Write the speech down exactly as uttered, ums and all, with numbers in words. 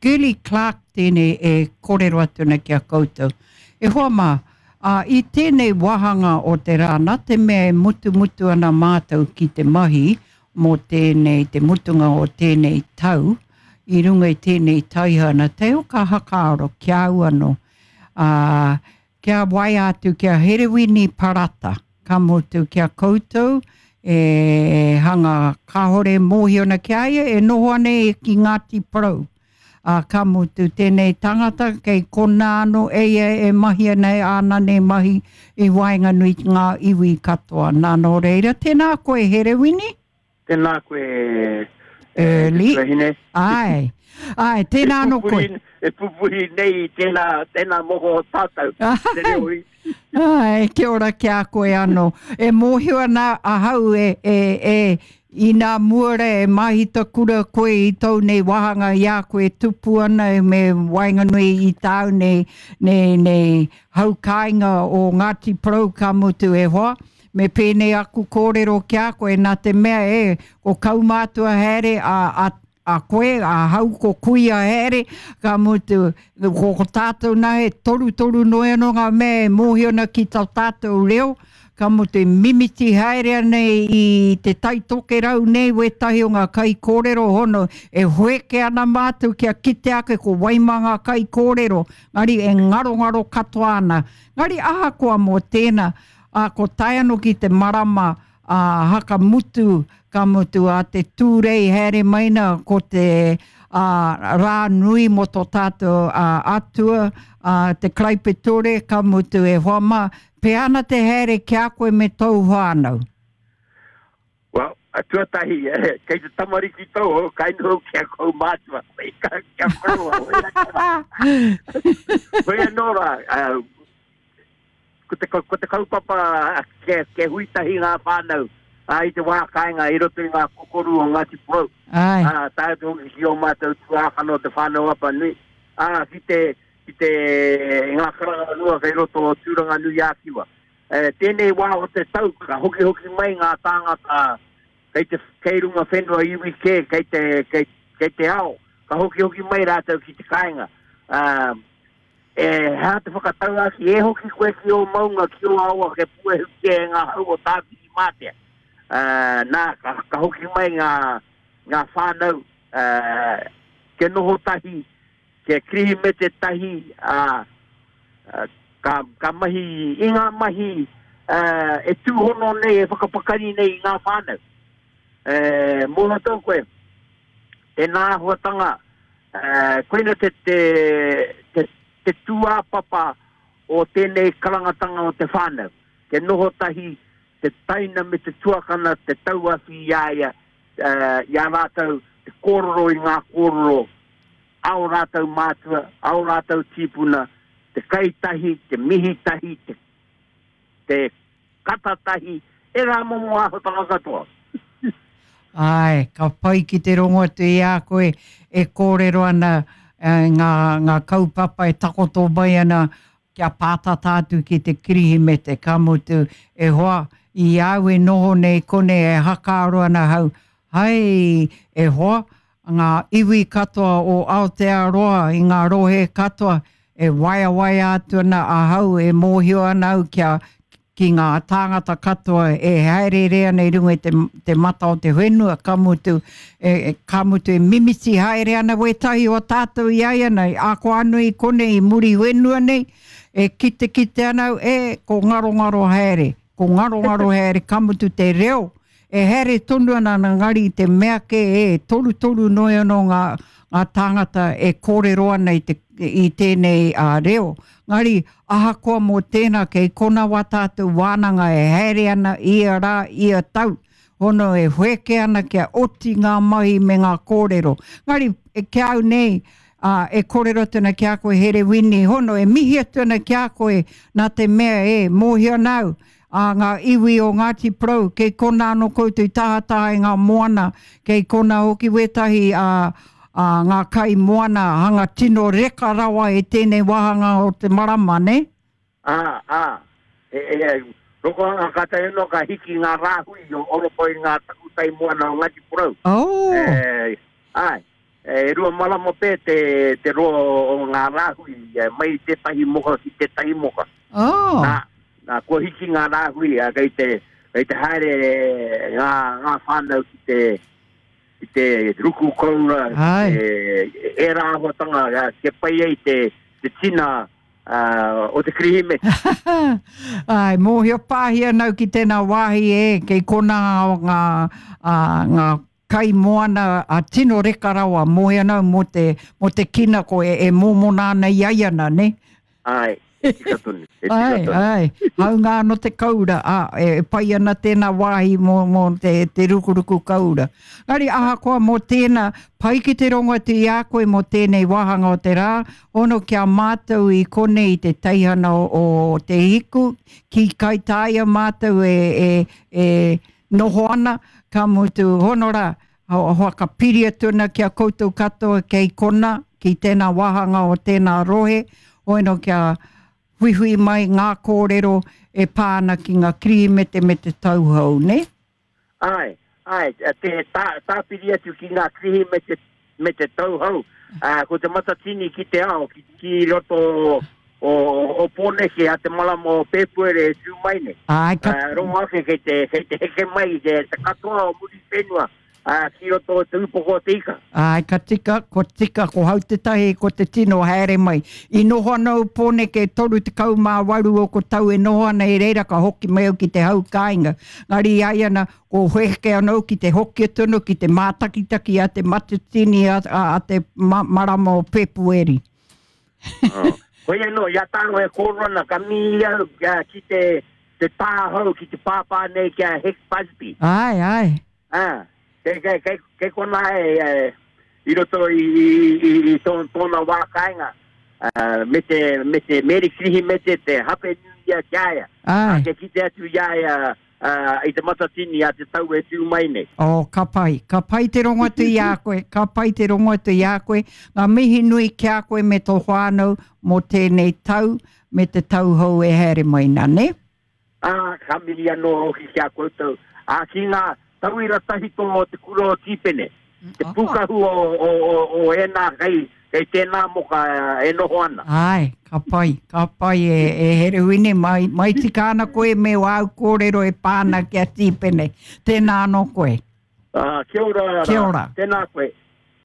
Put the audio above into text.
Girlie Clark tēnei e kōrero atu ana ki a koutou. E hoa mā, ā, i tēnei wāhanga o te rā, nā te mea e mutumutu ana mātou ki te mahi mō tēnei, te mutunga o tēnei tau, i runga i tēnei taihana, teo ka hakaaro ki a au anō, ā, kia waea atu ki a Herewini Parata, ka mutu ki a koutou e hanga kāore mōhio ana ki a ia, e noho ana ia ki Ngāti Porou. Ā, ka mutu tēnei tangata kei konā anō e ia e mahi ana i āna nei mahi i waenganui i ngā iwi katoa. Nā, nō reira, tēnā koe Herewini. Tēnā koe e te Early. tuahine. Āe, āe, tēnā anō koe. E pupuri nei i tēnā, tēnā moho o tātou, te reo i. Āe, kia ora ki a koe anō. E mōhio ana ahau e, e, e, inā mua rā e māhita kura koe i tōu nei wāhanga i a koe e tupu ana e me waenganui i tāu nei, nei, nei hau kāinga o Ngāti Porou ka mutu e hoa, me pēnei aku kōrero ki a koe nā te mea e, ko kaumātua haere a, a a koe, a hau ko kuia haere, ka mutu, ko, ko tātou nā he torutoru noa anō ngā mea e mōhio ana ki tō tātou reo, ka mutu e mimiti haere ana i Te Tai Tokerau nei wētahi o ngā kaikōrero hono, e hoeke ana mātou kia kite ake ko wai mā ngā kaikōrero, ngari e ngarongaro katoa ana. Ngari ahakoa mō tēnā, ā, ko tae anō ki te marama, ā, haka mutu, ka mutu ā te Tūrei haere mai na ko te ā, rā nui mō tō tātou ā, Atua, ā, te Karaipetore, ka mutu e hoa mā, pēhea ana te haere ki a koe me tōu whānau? Well, tuatahi, kei te tamariki tauhou, kai noho ki a kaumātua, kia koroua, hoi anō rā, Ko te, ko te kaupapa kia, kia hui tahi ngā whānau ā, i te wā kāinga i roto i ngā kokoru o Ngāti Porou. Āe. Ā, tae atu hoki ki ō mātou tuākana o Te Whānau Apanui, ā, ki te, ki te, ngā karanga noa kei roto o Tūranganui-ā-Kiwa. E, tēnei wā o te tau, ka hokihoki mai ngā tāngata kei te, kei runga whenua iwi kē, kei te, kei, kei te ao, ka hokihoki mai rātou ki te kāinga. Ā, E hea te whakatauākī, e hoki koe ki ō maunga, ki ō awa, kia puehutia e ngā hau o Tāwhirimātea. Nā, ka, ka hoki mai ngā, ngā whānau, kia noho tahi, kia Kirihimete tahi, ā, ka, ka mahi i ngā mahi e tūhono nei, e whakapakari nei i ngā whānau. E, mōhio tonu koe, tēnā āhuatanga, Koina te, te, te, te tūāpapa o tēnei karangatanga o te whānau, kia noho tahi te taina me te tuakana te tauawhi i a ia, i a rātou, te kōrero i ngā kōrero a ō rātou mātua, a ō rātou tīpuna, te kai tahi, te mihi tahi, te, te kata tahi, ērā momo āhuatanga katoa. Āe, ka pai ki te rongo atu i a koe e kōrero ana ngā, ngā kaupapa e takoto mai ana kia pātata atu ki te Kirihimete, ka mutu, e hoa, i a au e noho nei konei e hakaaro ana ahau, hai, e hoa, ngā iwi katoa o Aotearoa i ngā rohe katoa, e waeawaea atu ana ahau, e mōhio ana au kia, ki ngā tāngata katoa e hāereere ana i runga i te, te mata o te whenua, ka mutu, e, ka mutu e mimiti haere ana wētahi o tātou i a ia nei, ako anō i konei i muri whenua nei, e kitekite ana au, e, ko ngarongaro haere, ko ngarongaro haere, ka mutu te reo, E haere tonu ana engari i te mea kē e torutoru noa anō ngā, ngā tāngata e kōrero ana i, te, i tēnei uh, reo. Ngari, ahakoa mō tēnā, kei kona wā tātou wānanga e haere ana ia rā, ia tau, hono e wheke ana kia oti ngā mahi me ngā kōrero. Ngari, e, ki a au nei, uh, e kōrero atu ana ki a koe Herewini, hono e mihi atu ana ki a koe nā te mea e mōhio ana au, ā, ngā iwi o Ngāti Porou, kei konā anō koutou i tahataha i ngā moana, kei konā hoki wētahi ā, ā, ngā kai moana hanga tino reka rawa i tēnei wāhanga o te marama, nē? Ā, ā, e, e, rokohanga kātahi anō ka hiki ngā rāhui o roto i ngā takutai moana o Ngāti Porou. Oh! E, āe. e rua marama pē te, te roa o ngā rāhui, e, mai tētahi moka ki tētahi moka. Oh. Nā, nā, kua hiki ngā rāhui, a, kei te, kei te haere ngā, ngā whānau ki te, ki te ruku koura, Ai. e, e rā āhuatanga, a, kia pai ai te, te tina uh, o te Kirihimete. Ai, mōhio pāhi anau ki tēnā wāhi e, kei kona ngā, ngā, ngā kai moana a tino reka rawa, mōhio anau mō te, mō te kina ko e, e mōmona ana i ai ana, ne? Ai, e tika tonu, e tika Ai, tonu. ai, haunga anō te kaura, a, e pai ana tēnā wāhi mō, mō te, te rukuruku kaura. Ngari ahakoa mō tēnā, pai ki te rongo atu i a koe mō tēnei wāhanga o te rā, hono kia mātou i konei i te teihana o, o Te Hiku, ki Kaitaia mātou e, e, e noho ana, ka mutu hono rā, whakapiri atu ana ki a koutou katoa kei kona, ki tēnā wāhanga o tēnā rohe, hono kia huihui mai ngā kōrero e pā ana ki ngā Kirihimete me te tauhou, ne? Ai, ai, te tā, tāpiri atu ki ngā Kirihimete me te tauhou, uh, ko te Matatini ki te ao, ki, ki roto o, o, o Pōneke a te marama o Pēpuere e tū mai nei. Ai, ka... Uh, rongo ake kei te, kei te heke mai te, te katoa o Muriwhenua, uh, ki roto o te upoko o te ika. Ai, ka tika, ko tika, ko hau te tahi, ko te tino haere mai. I noho ana o Pōneke toru tekau mā waru o ko tau e noho ana i reira ka hoki mai au ki te hau kāinga. Ngari ai ana, ko heke anō ki te hoki atu anō, ki te mātakitaki a te Matatini a, a, a te ma, marama o Pēpueri. Oh. Hoi anō, i a tāngo e kōrero ana, ka mihi au ki te, te tāhau, ki te pāpā nei ki a Hec Busby. Ai, ai. Ah, kei, kei, kei, kei kona e, e, i roto i, i, i, i tō, tōna wā kāinga, uh, me te, me te Meri Kirihimete te hape nui ia ki a ia. Ai. Kia kite atu i a ia, uh, i te Matatini a te tau e tū mai nei. Oh, ka pai. Ka pai te rongo atu i a koe. Ka pai te rongo atu i a koe. Ngā mihi nui ki a koe me tō whānau mō tēnei tau me te tau hou e haere mai nā, ne? Ah, ka mihi anō hoki ki a koutou. Ah, ki ngā tauira tahito o te kura o Tīpene. Te pūkahu o, o, o, o ēnā kei, kei tēnā moka e noho ana. Ai, ka pai, ka pai e, e Herewini, mai, mai tika ana koe me wāu kōrero e pāna ki a Tīpene. Tēnā anō koe. Ah, kia ora. Kia ora. Tēnā koe.